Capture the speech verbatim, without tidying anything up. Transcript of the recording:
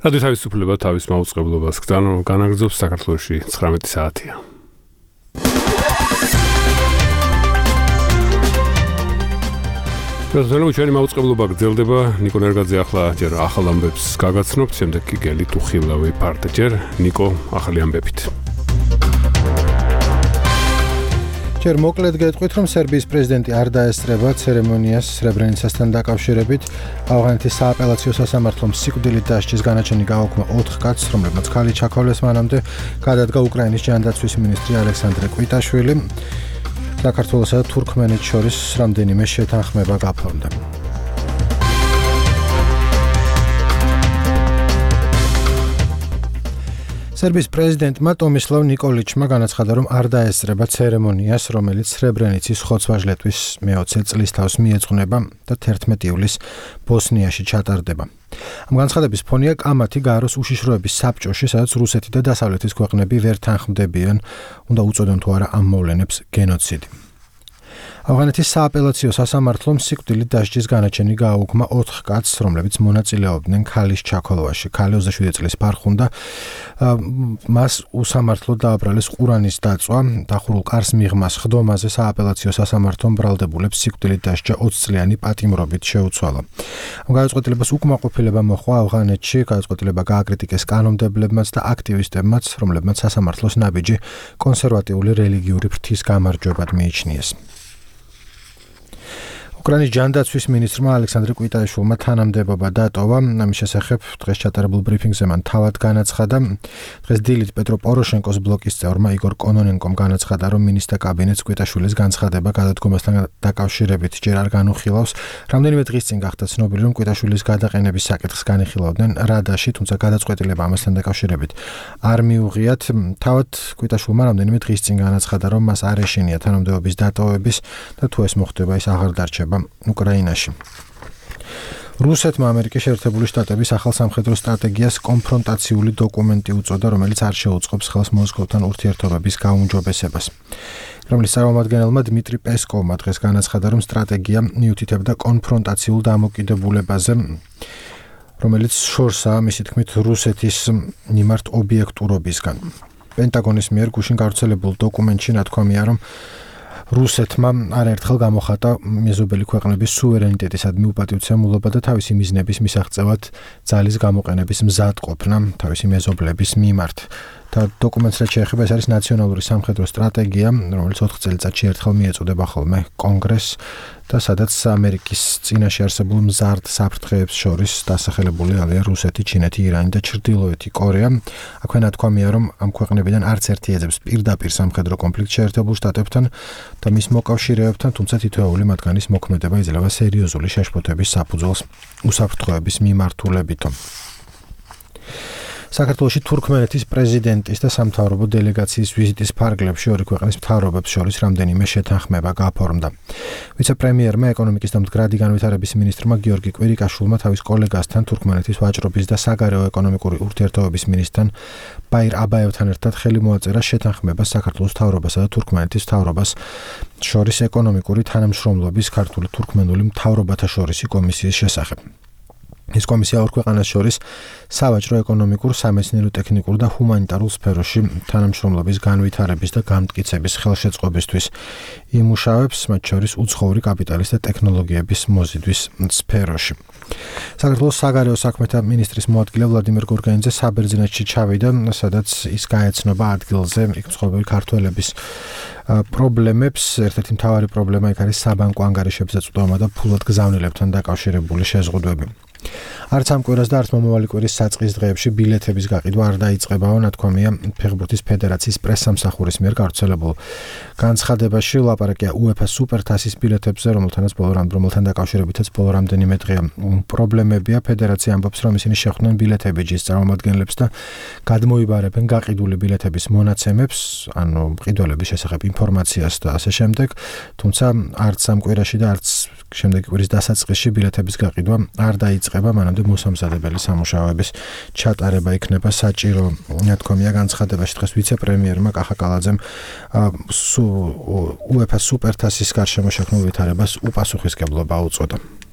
რადიო თავისუფლება თავის მაუწყებლობას განაგრძობს საქართველოში ცხრამეტი საათია. გასულები ჩვენი მაუწყებლობა გრძელდება. ნიკო ნერგაძე ახლა ჯერ ახალ ამბებს გაგაცნობთ, შემდეგ კი გელი ტუხილავი პარტ. ჯერ ნიკო ახალი ამბებით. ჯერ მოკლედ გეტყვით, რომ სერბიის პრეზიდენტი არ დაესწრება ცერემონიას სრებრენიცასთან დაკავშირებით. ავღანეთის სააპელაციო სასამართლომ სიკვდილით დასჯის განაჩენი გააუქმა ოთხ კაცს, რომლებმაც ქალი ჩაქოლეს მანამდე. გადადგა უკრაინის ჯანდაცვის მინისტრი ალექსანდრე კვიტაშვილი. საქართველოსა და თურქმენეთს შორის რამდენიმე შეთანხმება გაფორმდა. სერბიის პრეზიდენტმა ტომისლავ ნიკოლიჩმა განაცხადა, რომ არ დაესწრება ცერემონიას, რომელიც სრებრენიცის ხოცვა-ჟლეტვის მეოცე წლისთავს მიეძღვნება და თერთმეტი ივლისს ბოსნიაში ჩატარდება. ამ განცხადების ფონია კამათი გააროს უშიშროების საბჭოში, სადაც რუსეთი და დასავლეთის ქვეყნები ვერ თანხმდებიან, უნდა უწოდონ თუ არა ამ მოვლენებს გენოციდი. ავღანეთის სააპელაციო სასამართლომ სიკვდილით დასჯის განაჩენი გააუქმა ოთხ კაცს, რომლებიც მონაწილეობდნენ ქალის ჩაქოლვაში. ქალი ოცდაშვიდი წლის ფარხუნდა, მას უსამართლოდ დააბრალეს ყურანის დაწვა, დახურულ კარს მიღმას ხდომაზე სააპელაციო სასამართლომ ბრალდებულებს სიკვდილით დასჯა ოცი წლიანი პატიმრობით შეუცვალა. ამ გადაწყვეტილებას უკმაყოფილება მოჰყვა ავღანეთში, გადაწყვეტილება გააკრიტიკეს კანონმდებლებმაც და აქტივისტებმაც, რომლებმაც სასამართლოს ნაბიჯი კონსერვატიული რელიგიური ფრთის გამარჯვებად მიიჩნიეს. უკრაინის ჯანდაცვის მინისტრმა ალექსანდრე კვიტაშვილმა თანამდებობა დატოვა. ამის შესახებ დღეს ჩატარებულ ბრიფინგზე მან თავად განაცხადა. დღეს დილით პეტრო პოროშენკოს ბლოკის წევრმა იგორ კონონენკომ განაცხადა, რომ მინისტრთა კაბინეტს კვიტაშვილის განცხადება გადადგომასთან დაკავშირებით ჯერ არ განუხილავს. რამდენიმე დღის წინ გახდა ცნობილი, რომ კვიტაშვილის გადაყენების საკითხს განიხილავდნენ რადაში, თუმცა გადაწყვეტილება ამასთან დაკავშირებით არ მიუღიათ. თავად კვიტაშვილმა რამდენიმე დღის წინ განაცხადა, რომ მას არ ეშინია თანამდებობის დატოვების და თუ ეს მოხდება, ის აღარ დარჩება უკრაინაში. რუსეთმა ამერიკის შეერთებული შტატების ახალ სამხედრო სტრატეგიას კონფრონტაციული დოკუმენტი უწოდა, რომელიც არ შეუწყობს ხელს მოსკოვთან ურთიერთობების გაუმჯობესებას. კრემლის წარმომადგენელმა დმიტრი პესკოვმა დღეს განაცხადა, რომ სტრატეგია მიუთითებდა კონფრონტაციულ დამოკიდებულებაზე, რომელიც შორსაა, მისი თქმით, რუსეთის მიმართ ობიექტურობისგან. პენტაგონის მიერ გუშინ გავრცელებულ დოკუმენტში ნათქვამია, რომ რუსეთმა არაერთხელ გამოხატა მეზობელი ქვეყნების სუვერენიტეტისადმი უპატივცემულობა და თავისი მიზნების მისაღწევად ძალის გამოყენების მზადყოფნა თავისი მეზობლების მიმართ. და დოკუმენტს რაც შეეხება, ეს არის ნაციონალური სამხედრო სტრატეგია, რომელიც ოთხ წელიწადში ერთხელ მიეწოდება ხოლმე კონგრესს და სადაც ამერიკის წინაშე არსებულ მზარდ საფრთხეებს შორის დასახელებული არიან რუსეთი, ჩინეთი, ირანი და ჩრდილოეთი კორეა. აქვე ნათქვამია, რომ ამ ქვეყნებიდან არც ერთი ეძებს პირდაპირ სამხედრო კონფლიქტს შეერთებულ შტატებთან და მის მოკავშირეებთან, თუმცა თითოეული მათგანის მოქმედება იძლევა სერიოზული შეშფოთების საფუძველს უსაფრთხოების მიმართულებითო. საქართველოში თურქმენეთის პრეზიდენტის და სამთავრობო დელეგაციის ვიზიტის ფარგლებში ორი ქვეყნის მთავრობებს შორის რამდენიმე შეთანხმება გაფორმდა. ვიცე-პრემიერმა, ეკონომიკის და მდგრადი განვითარების მინისტრმა გიორგი კვირიკაშვილმა თავის კოლეგასთან, თურქმენეთის ვაჭრობის და საგარეო ეკონომიკური ურთიერთობების მინისტრთან ბაირ აბაევთან ერთად ხელი მოაწერა შეთანხმებას საქართველოს მთავრობასა და თურქმენეთის მთავრობას შორის ეკონომიკური თანამშრომლობის ქართული თურქმენული მთავრობათა შორისი კომისიის შესახებ. ეს კომისია ორ ქვეყანას შორის სავაჭრო, ეკონომიკურ, სამეცნიერო-ტექნიკურ და ჰუმანიტარულ სფეროში თანამშრომლობის განვითარების და გამტკიცების ხელშეწყობისთვის იმუშავებს, მათ შორის უცხოური კაპიტალის და ტექნოლოგიების მოზიდვის სფეროში. საქართველოს საგარეო საქმეთა მინისტრის მოადგილე ვლადიმერ გორგანიძე საბერძნეთში ჩავიდა, სადაც ის გაეცნობა ადგილზე იქ მცხოვრები ქართველების პრობლემებს. ერთ-ერთი მთავარი პრობლემა იქ არის საბანკო ანგარიშებზე წვდომა და ფულად გზავნილებთან დაკავშირებული შეზღუდვები. არც ამ კვირას და არც მომავალი კვირის საწყის დღეებში ბილეთების გაყიდვა არ დაიწყებაო, ნათქვამია ფეხბურთის ფედერაციის პრესსამსახურის მიერ გავრცელებულ განცხადებაში. ლაპარაკია უეფა სუპერთასის ბილეთებზე, რომელთანაც ბოლო რომელთან დაკავშირებითაც ბოლო რამდენიმე დღეა პრობლემებია. ფედერაცია ამბობს, რომ ისინი შეხვდნენ ბილეთებიჯის წარმომადგენლებს და გადმოიბარებენ გაყიდული ბილეთების მონაცემებს, ანუ მყიდველების შესახებ ინფორმაციას და ასე შემდეგ. თუმცა არც ამ კვირაში და არც შემდეგი კვირის დასაწყისში ბილეთების გაყიდვა არ დაიწყება, მანამდე მოსამზადებელი სამუშაოების ჩატარება იქნება საჭირო. ნათქვამია განცხადებაში დღეს ვიცე-პრემიერმა კახა კალაძემ უეფა სუპერთასის გარშემო შექმნილ ვითარებას უპასუხისმგებლობა უწოდა.